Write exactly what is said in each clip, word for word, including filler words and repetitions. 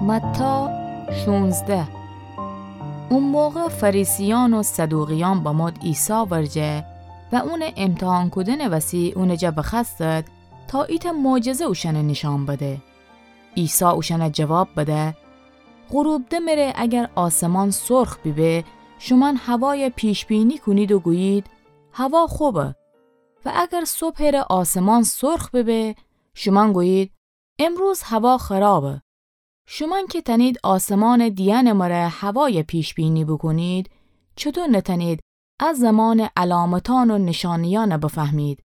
متی شونزده. او موقع فریسیأن و صدوقیأن بمود عیسی ورجه و اونٚ امتحان کودنٚ وسی اونٚ جا بخوأستد تا ایتأ معجزه اوشأنَ نیشأن بده. عیسی اوشأنَ جواب بده: غروب دمره اگر آسمان سرخ بیبه، شومأن هوایَ پیش‌بینی کونید و گویید: هوا خوبه. و اگر صبحٚ ره آسمان سرخ بیبه، شومأن گویید: امروز هوا خرابه. شومأن که تأنید آسمانٚ دیأنٚ مره هوایَ پیش‌بینی بوکونید، چوطو نتأنید ا زمانٚ علامتأن و نیشأنیأنَ بفهمید؟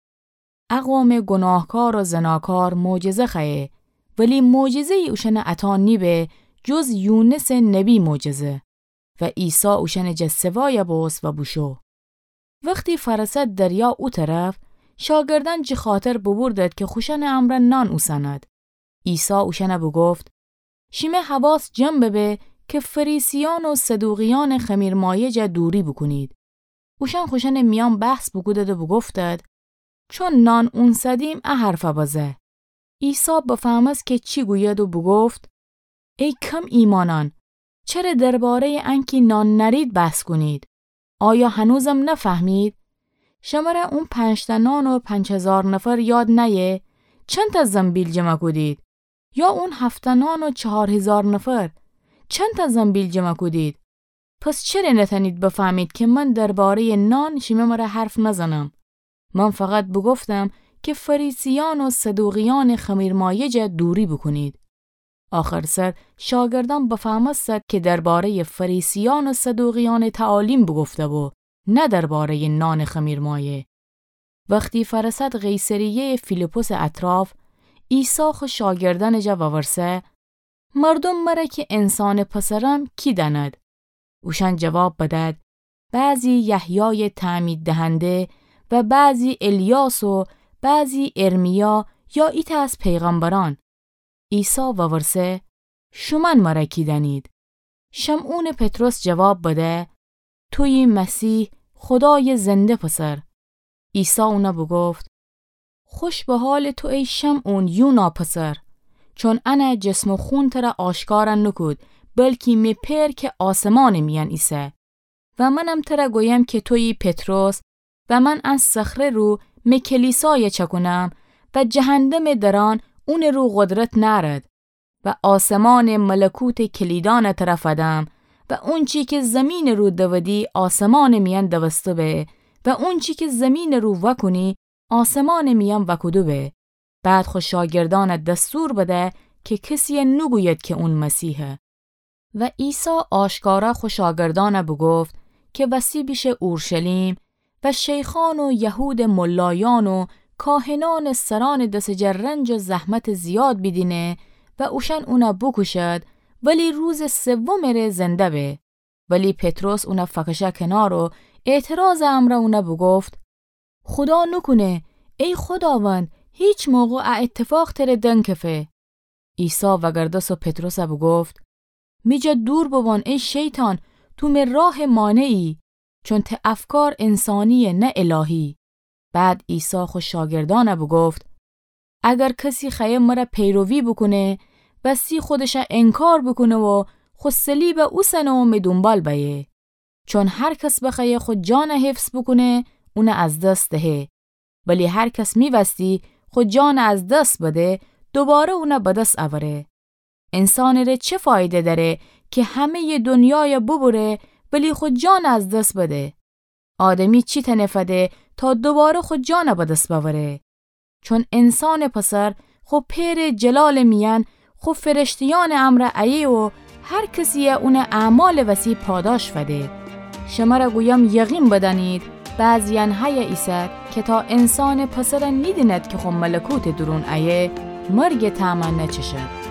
ا قومٚ گوناهکار و زناکار معجزه خوأیه، ولی معجزه‌یی اوشأنَ عطا نیبه جز یونسٚ نبی معجزه. و عیسی اوشأنٚ جا سوایَ بوست و بوشو. وختی فأرسد دریا او طرف، شاگردأن جٚه خاطر بوبوردد که خوشأنٚ امرأ نان اوسأند. عیسی اوشأنَ بوگفت: شیمه حواس جمع ببه که فریسیأن و صدوقیأنٚ خمیرمایه جا دوری بوکونید. اوشأن خوشأنٚ میأن بحث بوکودد و بوگفتد: چون نان اونسدیم ا حرفَ بزه. عیسی بفهمست که چی گوید و بوگفت: ای کم ایمانأن، چره درباره‌یٚ انکی نان نأرید بحث کونید؟ آیا هنوزم نفهمید؟ شمره اون پنج‌تأ نان و پنج هیزار نفر یاد نأیه؟ چندتأ زنبیل جمع کودید؟ یا اون هفت‌تأ نان و چهار هیزار نفر، چندتأ زنبیل جمع کودید؟ پس چره نتأنید بفهمید که من درباره‌یٚ نان شیمه مره حرف نزنم؟ من فقط بوگفتم که فریسیأن و صدوقیأنٚ خمیرمایه جا دوری بوکونید. آخرسر شاگردأن بفهمستد که درباره‌یٚ فریسیأن و صدوقیأنٚ تعالیم بوگفته‌بو، نه درباره‌یٚ نانٚ خمیرمایه. وختی فأرسد قیصریه‌یٚ فیلیپسٚ اطراف، عیسی خو شاگردأنٚ جا وورسه: مردوم مره که انسانٚ پسرم کی دأند؟ اوشأن جواب بدد: بعضی یحیایٚ تعمیددهنده و بعضی الیاس و بعضی ارمیا یا ایتأ از پیغمبرأن. عیسی وورسه: شومأن مره کی دأنید؟ شمعونٚ پطرس جواب بده: تویی مسیح، خودایٚ زنده پسر. عیسی اون بوگفت: خوش به حالٚ تو ای شمعون، یونا پسر، چون ان جسم و خون تر آشکار نوکود، بلکی می پئر که آسمانٚ میأن ایسه. و منم تر گویم که تویی پطرس، و من ان صخره رو می کلیسای چأکونم، و جهندمٚ درأن اونٚ رو قدرت نأرد. و آسمانٚ ملکوتٚ کلیدأن تر فدم، و اونچی که زیمینٚ رو دودی آسمانٚ میأن دوسته به، و اونچی که زیمینٚ رو وأکونی آسمانٚ میأن وأکوده به. بعد خو شاگردأن دستور بده که کسی نوگوید که اون مسیحه. و عیسی آشکارا خو شاگردأن بوگفت که وسی بیشه اورشلیم و شیخأن و یهودٚ ملایأن و کاهنأنٚ سرأنٚ دسٚ جا رنج و زحمتٚ زیاد بیدینه و اوشأن اون بوکوشد، ولی روزٚ سومٚ ره زنده به. ولی پطرس اون فکشه کنار و اعتراضٚ امرأ اون بوگفت: خودا نوکونه، ای خوداوند، هیچ موقع ا اتفاق تر دنکفه. عیسی وگردست و پطرس بوگفت: می جا دور بوبان ای شیطان، تو می راه مانعی، چون ته افکار انسانیه نه الهی. بعد عیسی خو شاگردأن بوگفت: اگر کسی خوأیه مر پیروی بوکونه، وسی خودش انکار بوکونه و خو صلیب اوسنه و می دونبال بأیه. چون هر کس بخوأیه خو جان حفظ بوکونه، اون از دس دهه. ولی هر کس می‌وستی خو جان از دس بده، دوباره اون به دس اوره. انسانٚ ره چه فایده دأره که همه‌یٚ دنیای ببره، ولی خو جان از دس بده؟ آدمی چی تأنه فده تا دوباره خو جان به دس بأوره؟ چون انسانٚ پسر خو پئرٚ جلالٚ میأن خو فرشته‌یأنٚ امرأ ایه و هر کسی اونٚ اعمالٚ وسی پاداش فده. شمر گویم، یقین بدأنید، بعضیأن هیه ایسد که تا انسانٚ پسر نیدیند که خو ملکوتٚ دورون ایه، مرگٚ طعم نچشد.